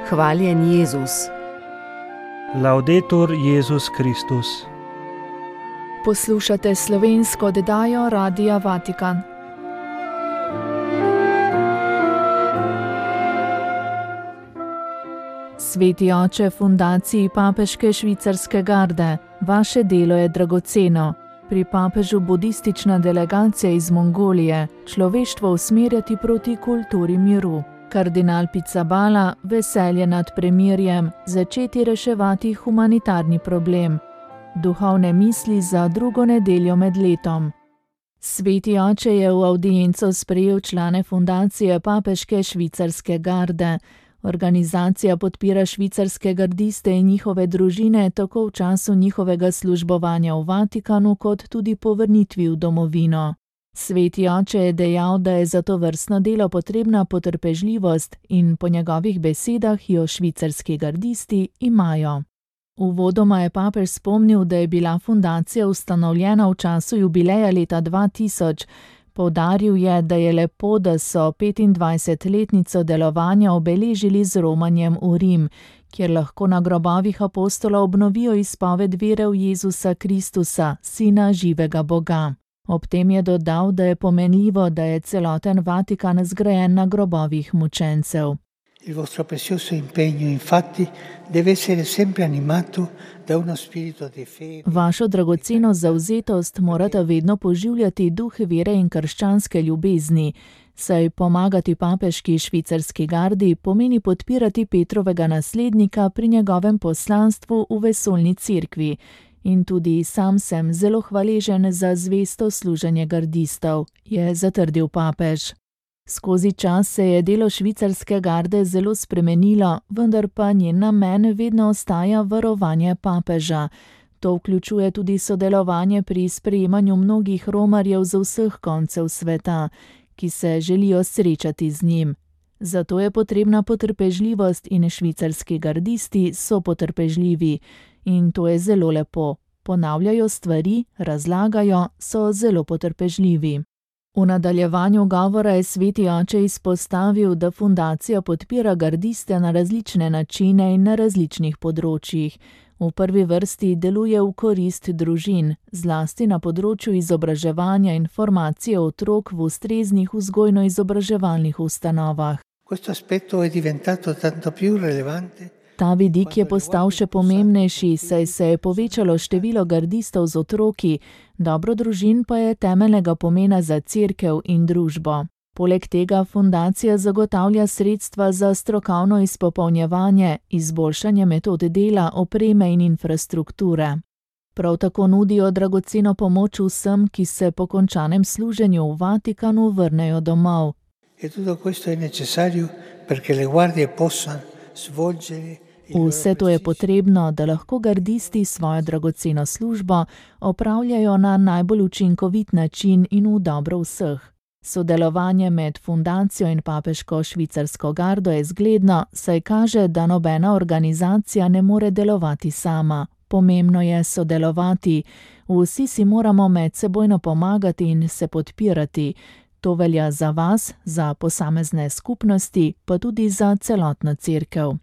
Hvaljen Jezus. Laudetur Jezus Kristus. Poslušate slovensko oddajo Radia Vatikan. Sveti oče Fundaciji Papeške švicarske garde, vaše delo je dragoceno. Pri papežu budistična delegacija iz Mongolije, človeštvo usmerjati proti kulturi miru. Kardinal Pizzaballa, veselje nad premirjem, začeti reševati humanitarni problem. Duhovne misli za drugo nedeljo med letom. Sveti oče je v avdienco sprejel člane Fundacije Papeške švicarske garde. Organizacija podpira švicarske gardiste in njihove družine tako v času njihovega službovanja v Vatikanu, kot tudi po vrnitvi v domovino. Sveti oče je dejal, da je za to vrstno delo potrebna potrpežljivost in po njegovih besedah jo švicarski gardisti imajo. Uvodoma je papež spomnil, da je bila fundacija ustanovljena v času jubileja leta 2000. Poudaril je, da je lepo, da so 25-letnico delovanja obeležili z romanjem v Rim, kjer lahko na grobovih apostolov obnovijo izpoved vere v Jezusa Kristusa, Sina živega Boga. Ob tem je dodal, da je pomenljivo, da je celoten Vatikan zgrajen na grobovih mučencev. Il vostro prezioso impegno, infatti, deve essere sempre animato da uno spirito di fede. Vašo dragoceno zavzetost morata vedno poživljati duh vere in krščanske ljubezni, saj pomagati papeški švicarski gardi pomeni podpirati Petrovega naslednika pri njegovem poslanstvu v vesoljni cerkvi. In tudi sam sem zelo hvaležen za zvesto služenje gardistov, je zatrdil papež. Skozi čas se je delo švicarske garde zelo spremenilo, vendar pa njen namen vedno ostaja varovanje papeža. To vključuje tudi sodelovanje pri sprejemanju mnogih romarjev z vseh koncev sveta, ki se želijo srečati z njim. Zato je potrebna potrpežljivost in švicarski gardisti so potrpežljivi. In to je zelo lepo. Ponavljajo stvari, razlagajo, so zelo potrpežljivi. V nadaljevanju govora je sveti oče izpostavil, da fundacija podpira gardiste na različne načine in na različnih področjih. V prvi vrsti deluje v korist družin, zlasti na področju izobraževanja in formacije otrok v ustreznih vzgojno-izobraževalnih ustanovah. Questo aspetto è diventato tanto più rilevante. Ta vidik je postal še pomembnejši, saj se je povečalo število gardistov z otroki, dobro družin pa je temeljnega pomena za cerkev in družbo. Poleg tega fundacija zagotavlja sredstva za strokovno izpopolnjevanje, izboljšanje metod dela, opreme in infrastrukture. Prav tako nudijo dragoceno pomoč vsem, ki se po končanem služenju v Vatikanu vrnejo domov. E tutto questo è necessario perché le guardie possano svolgere. Vse to je potrebno, da lahko gardisti svojo dragoceno službo opravljajo na najbolj učinkovit način in v dobro vseh. Sodelovanje med fundacijo in papeško švicarsko gardo je zgledno, saj kaže, da nobena organizacija ne more delovati sama. Pomembno je sodelovati. Vsi si moramo medsebojno pomagati in se podpirati. To velja za vas, za posamezne skupnosti, pa tudi za celotno cerkev.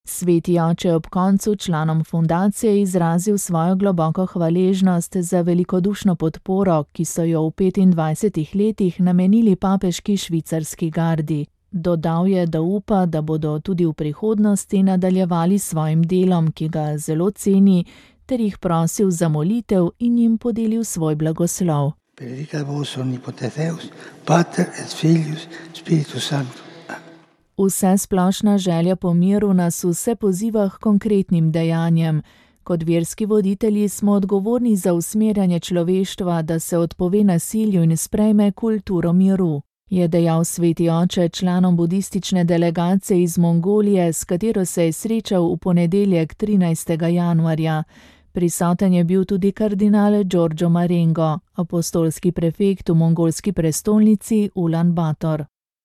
Sveti oče je ob koncu članom fundacije izrazil svojo globoko hvaležnost za velikodušno podporo, ki so jo v 25 letih namenili papeški švicarski gardi. Dodal je, da upa, da bodo tudi v prihodnosti nadaljevali svojim delom, ki ga zelo ceni, ter jih prosil za molitev in jim podelil svoj blagoslov. Benedicat vos omnipotens Deus, Pater et Filius, Spiritus Sanctus. Vse splošna želja po miru nas vse poziva k konkretnim dejanjem. Kot verski voditelji smo odgovorni za usmerjanje človeštva, da se odpove nasilju in sprejme kulturo miru, je dejal sveti oče članom budistične delegacije iz Mongolije, s katero se je srečal v ponedeljek 13. januarja. Prisoten je bil tudi kardinal Giorgio Marengo, apostolski prefekt v mongolski prestolnici Ulan Bator.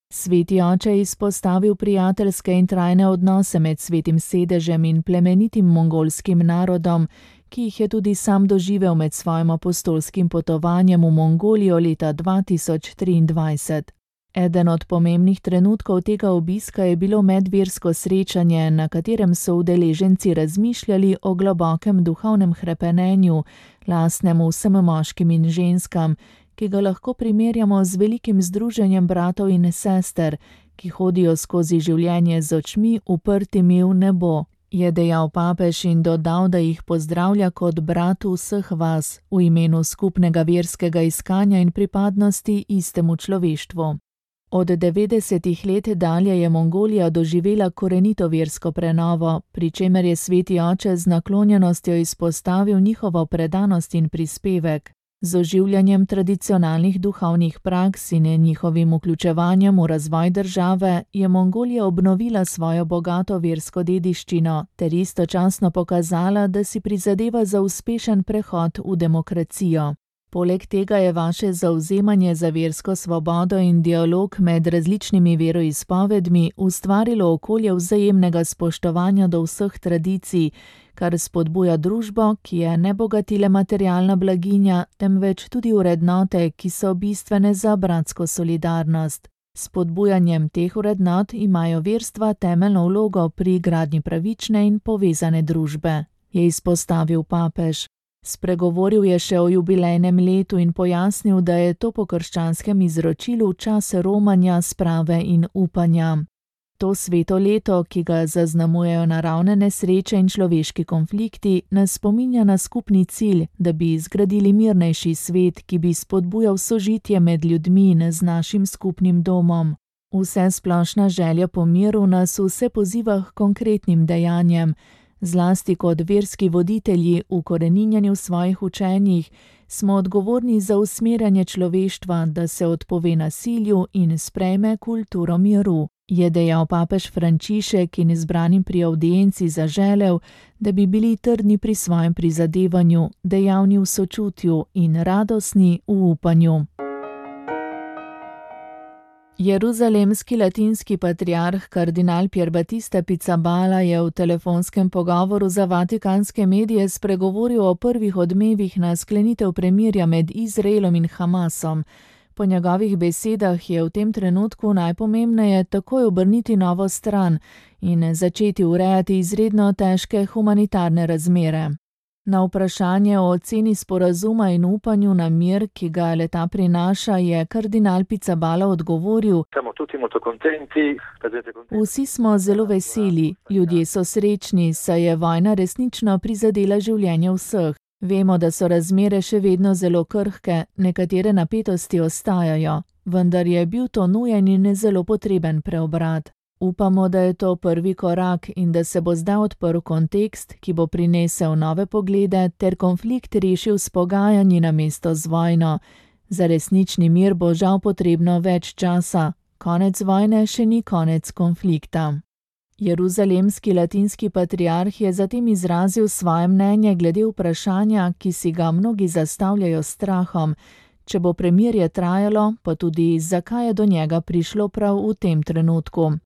Sveti oče je izpostavil prijateljske in trajne odnose med svetim sedežem in plemenitim mongolskim narodom, ki jih je tudi sam doživel med svojim apostolskim potovanjem v Mongolijo leta 2023. Eden od pomembnih trenutkov tega obiska je bilo medversko srečanje, na katerem so udeleženci razmišljali o globokem duhovnem hrepenenju, lastnem vsem moškim in ženskam, ki ga lahko primerjamo z velikim združenjem bratov in sester, ki hodijo skozi življenje z očmi uprtimi v nebo, je dejal papež in dodal, da jih pozdravlja kot brat vseh vas v imenu skupnega verskega iskanja in pripadnosti istemu človeštvu. Od 90. let dalje je Mongolija doživela korenito versko prenovo, pri čemer je sveti oče z naklonjenostjo izpostavil njihovo predanost in prispevek. Z oživljanjem tradicionalnih duhovnih praks in njihovim vključevanjem v razvoj države je Mongolija obnovila svojo bogato versko dediščino ter istočasno pokazala, da si prizadeva za uspešen prehod v demokracijo. Poleg tega je vaše zavzemanje za versko svobodo in dialog med različnimi veroizpovedmi ustvarilo okolje vzajemnega spoštovanja do vseh tradicij, kar spodbuja družbo, ki je ne bogati le materialna blaginja, temveč tudi vrednote, ki so bistvene za bratsko solidarnost. S spodbujanjem teh vrednot imajo verstva temeljno vlogo pri gradnji pravične in povezane družbe, je izpostavil papež. Spregovoril je še o jubilejnem letu in pojasnil, da je to po krščanskem izročilu čas romanja, sprave in upanja. To sveto leto, ki ga zaznamujejo naravne nesreče in človeški konflikti, nas spominja na skupni cilj, da bi zgradili mirnejši svet, ki bi spodbujal sožitje med ljudmi in z našim skupnim domom. Vsesplošna želja po miru nas vse poziva k konkretnim dejanjem. Zlasti kot verski voditelji ukoreninjeni v svojih učenjih, smo odgovorni za usmerjanje človeštva, da se odpove nasilju in sprejme kulturo miru, je dejal papež Frančišek in izbranim pri avdienci zaželel, da bi bili trdni pri svojem prizadevanju, dejavni v sočutju in radostni v upanju. Jeruzalemski latinski patriarh kardinal Pier Battista Pizzaballa je v telefonskem pogovoru za vatikanske medije spregovoril o prvih odmevih na sklenitev premirja med Izraelom in Hamasom. Po njegovih besedah je v tem trenutku najpomembneje takoj obrniti novo stran in začeti urejati izredno težke humanitarne razmere. Na vprašanje o oceni sporazuma in upanju na mir, ki ga leta prinaša, je kardinal Pizzaballa odgovoril: Vsi smo zelo veseli, ljudje so srečni, saj je vojna resnično prizadela življenje vseh. Vemo, da so razmere še vedno zelo krhke, nekatere napetosti ostajajo, vendar je bil to nujen in zelo potreben preobrat. Upamo, da je to prvi korak in da se bo zdaj odprl kontekst, ki bo prinesel nove poglede ter konflikt rešil s pogajanji namesto z vojno. Za resnični mir bo žal potrebno več časa. Konec vojne še ni konec konflikta. Jeruzalemski latinski patriarh je zatem izrazil svoje mnenje glede vprašanja, ki si ga mnogi zastavljajo s strahom. Če bo premirje trajalo, pa tudi zakaj je do njega prišlo prav v tem trenutku.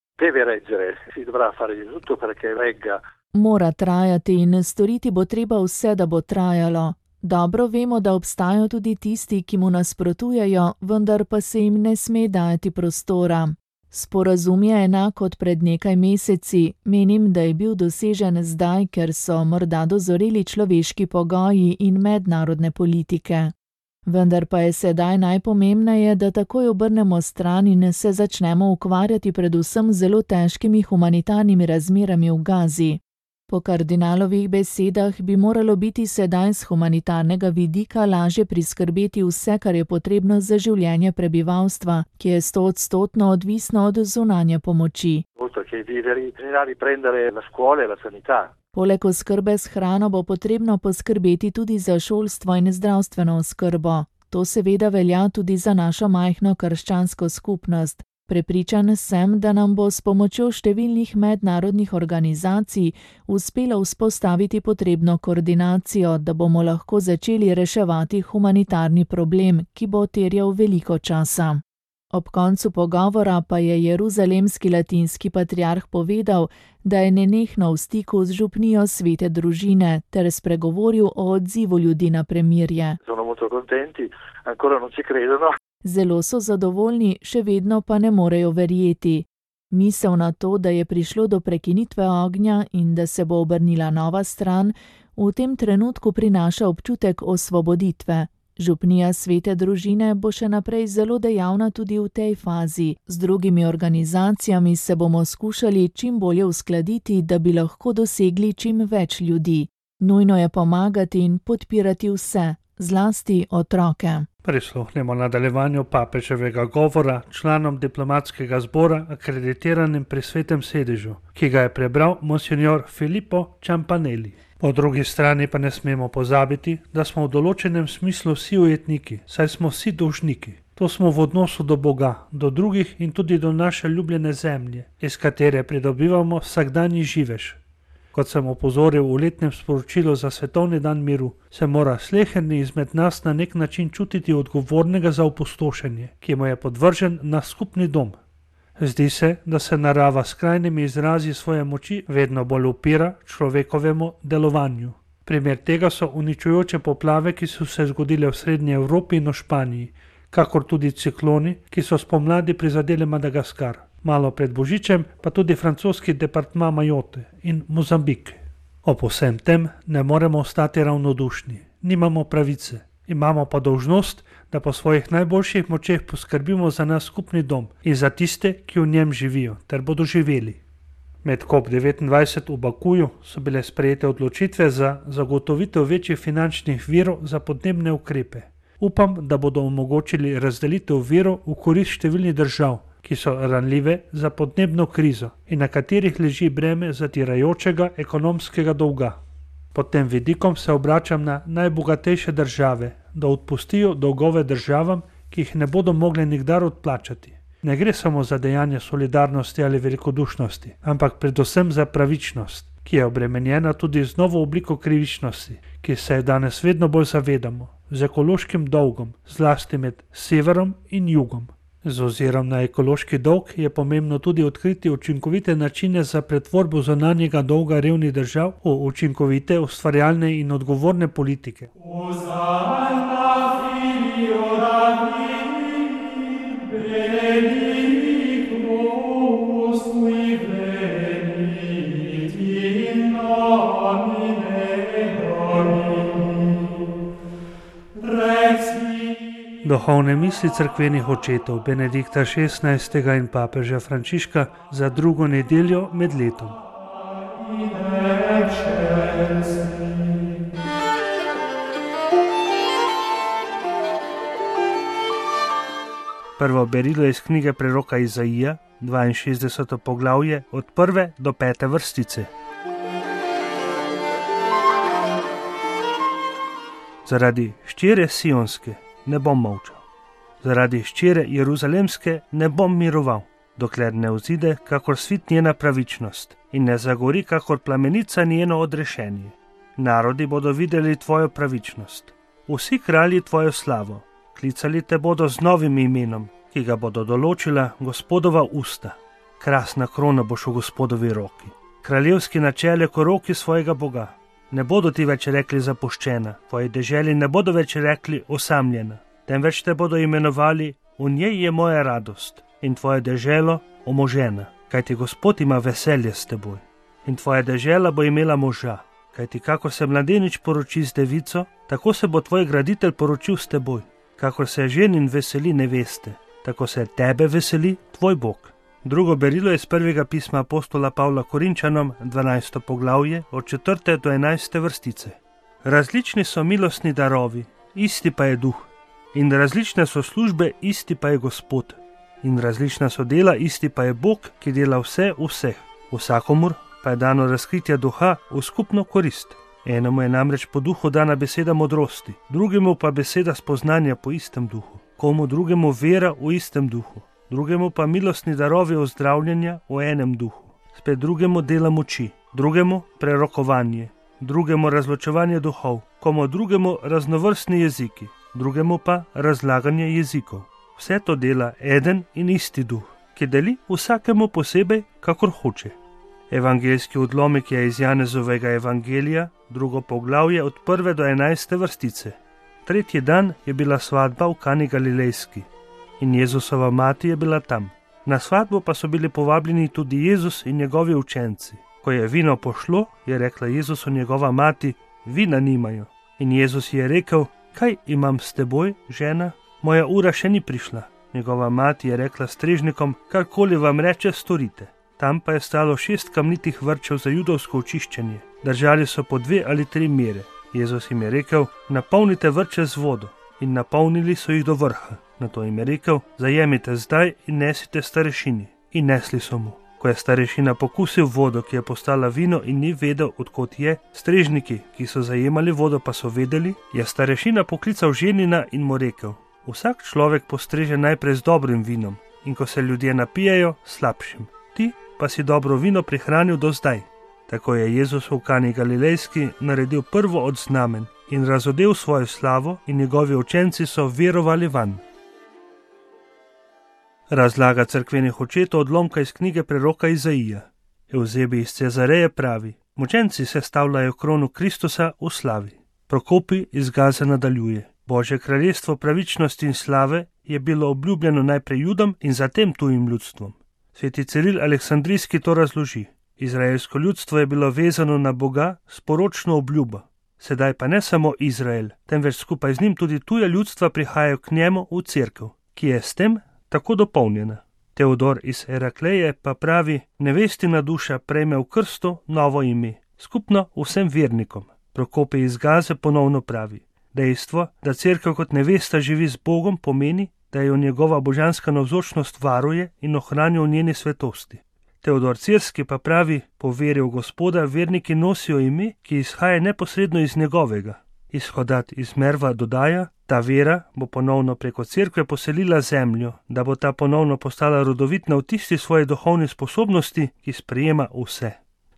Mora trajati in storiti bo treba vse, da bo trajalo. Dobro vemo, da obstajajo tudi tisti, ki mu nasprotujejo, vendar pa se jim ne sme dajati prostora. Sporazum je enak kot pred nekaj meseci. Menim, da je bil dosežen zdaj, ker so morda dozoreli človeški pogoji in mednarodne politike. Vendar pa je sedaj najpomembneje, da takoj obrnemo stran in se začnemo ukvarjati predvsem z zelo težkimi humanitarnimi razmerami v Gazi. Po kardinalovih besedah bi moralo biti sedaj z humanitarnega vidika lažje priskrbeti vse, kar je potrebno za življenje prebivalstva, ki je 100% odvisno od zunanje pomoči. Poleg oskrbe s hrano bo potrebno poskrbeti tudi za šolstvo in zdravstveno oskrbo. To seveda velja tudi za našo majhno krščansko skupnost. Prepričan sem, da nam bo s pomočjo številnih mednarodnih organizacij uspelo vzpostaviti potrebno koordinacijo, da bomo lahko začeli reševati humanitarni problem, ki bo terjal veliko časa. Ob koncu pogovora pa je jeruzalemski latinski patriarh povedal, da je nenehno v stiku z župnijo Svete družine ter spregovoril o odzivu ljudi na premirje. Zelo so zadovoljni, še vedno pa ne morejo verjeti. Misel na to, da je prišlo do prekinitve ognja in da se bo obrnila nova stran, v tem trenutku prinaša občutek osvoboditve. Župnija Svete družine bo še naprej zelo dejavna tudi v tej fazi. Z drugimi organizacijami se bomo skušali čim bolje uskladiti, da bi lahko dosegli čim več ljudi. Nujno je pomagati in podpirati vse, zlasti otroke. Prisluhnemo nadaljevanju papeževega govora članom diplomatskega zbora akreditiranim pri Svetem sedežu, ki ga je prebral monsignor Filippo Campanelli. Po drugi strani pa ne smemo pozabiti, da smo v določenem smislu vsi ujetniki, saj smo vsi dolžniki. To smo v odnosu do Boga, do drugih in tudi do naše ljubljene zemlje, iz katere pridobivamo vsakdanji živež. Kot sem opozoril v letnem sporočilu za Svetovni dan miru, se mora sleherni izmed nas na nek način čutiti odgovornega za opustošenje, ki mu je podvržen naš skupni dom. Zdi se, da se narava s krajnimi izrazi svoje moči vedno bolj upira človekovemu delovanju. Primer tega so uničujoče poplave, ki so se zgodile v Srednji Evropi in v Španiji, kakor tudi cikloni, ki so spomladi prizadeli Madagaskar. Malo pred Božičem pa tudi francoski departma Mayotte in Mozambik. Ob vsem tem ne moremo ostati ravnodušni, nimamo pravice, imamo pa dolžnost, da po svojih najboljših močeh poskrbimo za naš skupni dom in za tiste, ki v njem živijo ter bodo živeli. Med COP29 v Bakuju so bile sprejete odločitve za zagotovitev večjih finančnih virov za podnebne ukrepe. Upam, da bodo omogočili razdelitev virov v korist številnih držav, ki so ranljive za podnebno krizo in na katerih leži breme zatirajočega ekonomskega dolga. Pod tem vidikom se obračam na najbogatejše države, da odpustijo dolgove državam, ki jih ne bodo mogle nikdar odplačati. Ne gre samo za dejanje solidarnosti ali velikodušnosti, ampak predvsem za pravičnost, ki je obremenjena tudi z novo obliko krivičnosti, ki se je danes vedno bolj zavedamo, z ekološkim dolgom, zlasti med severom in jugom. Z ozirom na ekološki dolg je pomembno tudi odkriti učinkovite načine za pretvorbo zunanjega dolga revnih držav v učinkovite, ustvarjalne in odgovorne politike. Duhovne misli cerkvenih očetov Benedikta XVI. In papeža Frančiška za drugo nedeljo med letom. Prvo berilo je iz knjige preroka Izaija, 62. poglavje, od 1. do 5. vrstice. Zaradi hčere Sionske ne bom molčal. Zaradi hčere Jeruzalemske ne bom miroval, dokler ne vzide kakor svit njena pravičnost in ne zagori kakor plamenica njeno odrešenje. Narodi bodo videli tvojo pravičnost, vsi kralji tvojo slavo, klicali te bodo z novim imenom, ki ga bodo določila Gospodova usta. Krasna krona boš v Gospodovi roki, kraljevski načelje ko roki svojega Boga. Ne bodo ti več rekli zapuščena, tvoji deželi ne bodo več rekli osamljena, temveč te bodo imenovali v njej je moja radost in tvoje deželo omožena, kajti Gospod ima veselje s teboj. In tvoja dežela bo imela moža, kajti kakor se mladenič poroči z devico, tako se bo tvoj graditelj poročil s teboj. Kakor se ženin veseli neveste, tako se tebe veseli tvoj Bog. Drugo berilo je iz prvega pisma apostola Pavla Korinčanom, 12. poglavje, od 4. do 11. vrstice. Različni so milostni darovi, isti pa je duh. In različne so službe, isti pa je Gospod. In različna so dela, isti pa je Bog, ki dela vse v vseh. Vsakomur pa je dano razkritje duha v skupno korist. Enemu je namreč po duhu dana beseda modrosti, drugemu pa beseda spoznanja po istem duhu, komu drugemu vera v istem duhu, drugemu pa milostni darovi ozdravljenja v enem duhu, spet drugemu dela moči, drugemu prerokovanje, drugemu razločevanje duhov, komu drugemu raznovrstni jeziki, drugemu pa razlaganje jezikov. Vse to dela eden in isti duh, ki deli vsakemu posebej, kakor hoče. Evangeljski odlomek je iz Janezovega evangelija, drugo poglavje od 1. do 11. vrstice. Tretji dan je bila svatba v Kani Galilejski. in Jezusova mati je bila tam. Na svatbo pa so bili povabljeni tudi Jezus in njegovi učenci. Ko je vino pošlo, je rekla Jezusu njegova mati, vina nimajo. In Jezus je rekel, kaj imam s teboj, žena? Moja ura še ni prišla. Njegova mati je rekla strežnikom, karkoli vam reče, storite. Tam pa je stalo 6 kamnitih vrčev za judovsko očiščenje. Držali so po 2 ali 3 mere. Jezus jim je rekel, napolnite vrče z vodo. In napolnili so jih do vrha. Nato jim je rekel, zajemite zdaj in nesite starešini. In nesli so mu. Ko je starešina pokusil vodo, ki je postala vino in ni vedel, odkot je, strežniki, ki so zajemali vodo, pa so vedeli, je starešina poklical ženina in mu rekel, vsak človek postreže najprej z dobrim vinom in ko se ljudje napijajo, slabšim. Ti pa si dobro vino prihranil do zdaj. Tako je Jezus v Kani Galilejski naredil prvo od znamen in razodel svojo slavo in njegovi učenci so verovali vanj. Razlaga cerkvenih očetov odlomka iz knjige preroka Izaija. Evzebi iz Cezareje pravi, mučenci sestavljajo krono Kristusa v slavi. Prokopi iz Gaze nadaljuje. Božje kraljestvo pravičnosti in slave je bilo obljubljeno najprej Judom in zatem tujim ljudstvom. Sveti Ciril Aleksandrijski to razloži. Izraelsko ljudstvo je bilo vezano na Boga s poročno obljubo. Sedaj pa ne samo Izrael, temveč skupaj z njim tudi tuja ljudstva prihajajo k njemu v cerkev, ki je s tem tako dopolnjena. Teodor iz Herakleje pa pravi, nevestina duša prejme v krstu novo ime, skupno vsem vernikom. Prokopi iz Gaze ponovno pravi, dejstvo, da cerkev kot nevesta živi z Bogom, pomeni, da jo njegova božanska navzočnost varuje in ohranja v njeni svetosti. Teodor Cirski pa pravi, po veri v Gospoda verniki nosijo ime, ki izhaja neposredno iz njegovega. Izhodat iz Merva dodaja, ta vera bo ponovno preko cerkve poselila zemljo, da bo ta ponovno postala rodovitna v tisti svoji duhovni sposobnosti, ki sprejema vse.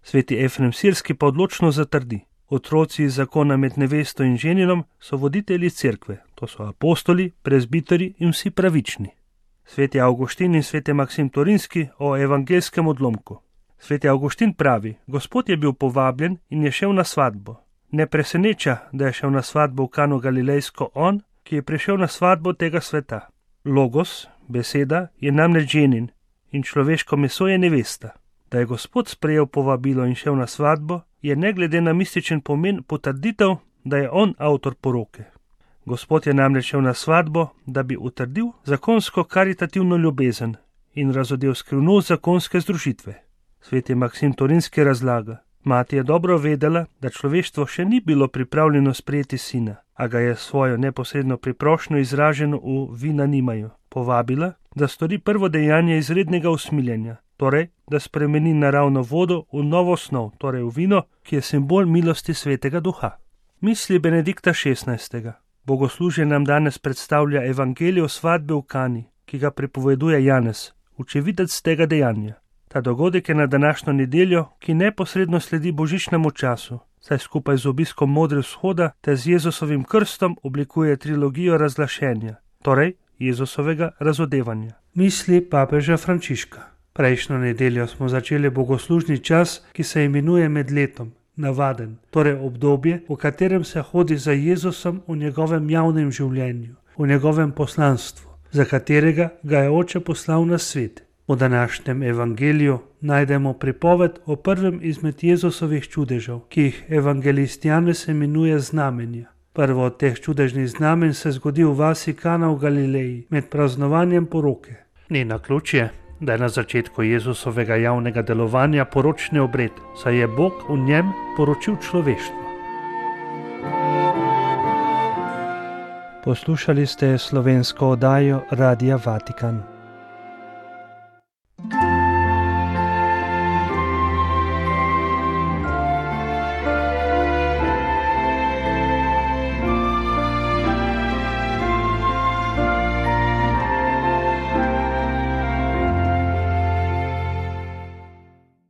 Sveti Efrem Sirski pa odločno zatrdi, otroci iz zakona med nevesto in ženinom so voditelji cerkve, to so apostoli, prezbiteri in vsi pravični. Sveti Avguštin in sveti Maksim Torinski o evangelskem odlomku. Sveti Avguštin pravi, Gospod je bil povabljen in je šel na svatbo. Ne preseneča, da je šel na svatbo v Kano Galilejsko on, ki je prišel na svatbo tega sveta. Logos, beseda, je namreč ženin in človeško meso je nevesta. Da je Gospod sprejel povabilo in šel na svatbo, je ne glede na mističen pomen potrditev, da je on avtor poroke. Gospod je namreč šel na svatbo, da bi utrdil zakonsko karitativno ljubezen in razodel skrivnost zakonske združitve. Sveti Maksim Torinski razlaga, mati je dobro vedela, da človeštvo še ni bilo pripravljeno sprejeti sina, a ga je svojo neposredno priprošnjo izraženo v vina nimajo povabila, da stori prvo dejanje izrednega usmiljenja, torej, da spremeni naravno vodo v novo snov, torej v vino, ki je simbol milosti svetega duha. Misli Benedikta XVI. Bogoslužje nam danes predstavlja evangelijo svatbe v Kani, ki ga pripoveduje Janez, očividec tega dejanja. Ta dogodek je na današnjo nedeljo, ki neposredno sledi božičnemu času, saj skupaj z obiskom Modre vzhoda ter z Jezusovim krstom oblikuje trilogijo razglašenja, torej Jezusovega razodevanja. Misli papeža Frančiška. Prejšnjo nedeljo smo začeli bogoslužni čas, ki se imenuje med letom, navaden, torej obdobje, v katerem se hodi za Jezusom v njegovem javnem življenju, v njegovem poslanstvu, za katerega ga je Oče poslal na svet. V današnjem evangeliju najdemo pripoved o prvem izmed Jezusovih čudežev, ki jih evangelist Janez imenuje znamenja. Prvo od teh čudežnih znamenj se zgodi v vasi Kana v Galileji med praznovanjem poroke. Ni naključje, da je na začetku Jezusovega javnega delovanja poročni obred, saj je Bog v njem poročil človeštvo. Poslušali ste slovensko oddajo Radia Vatikan.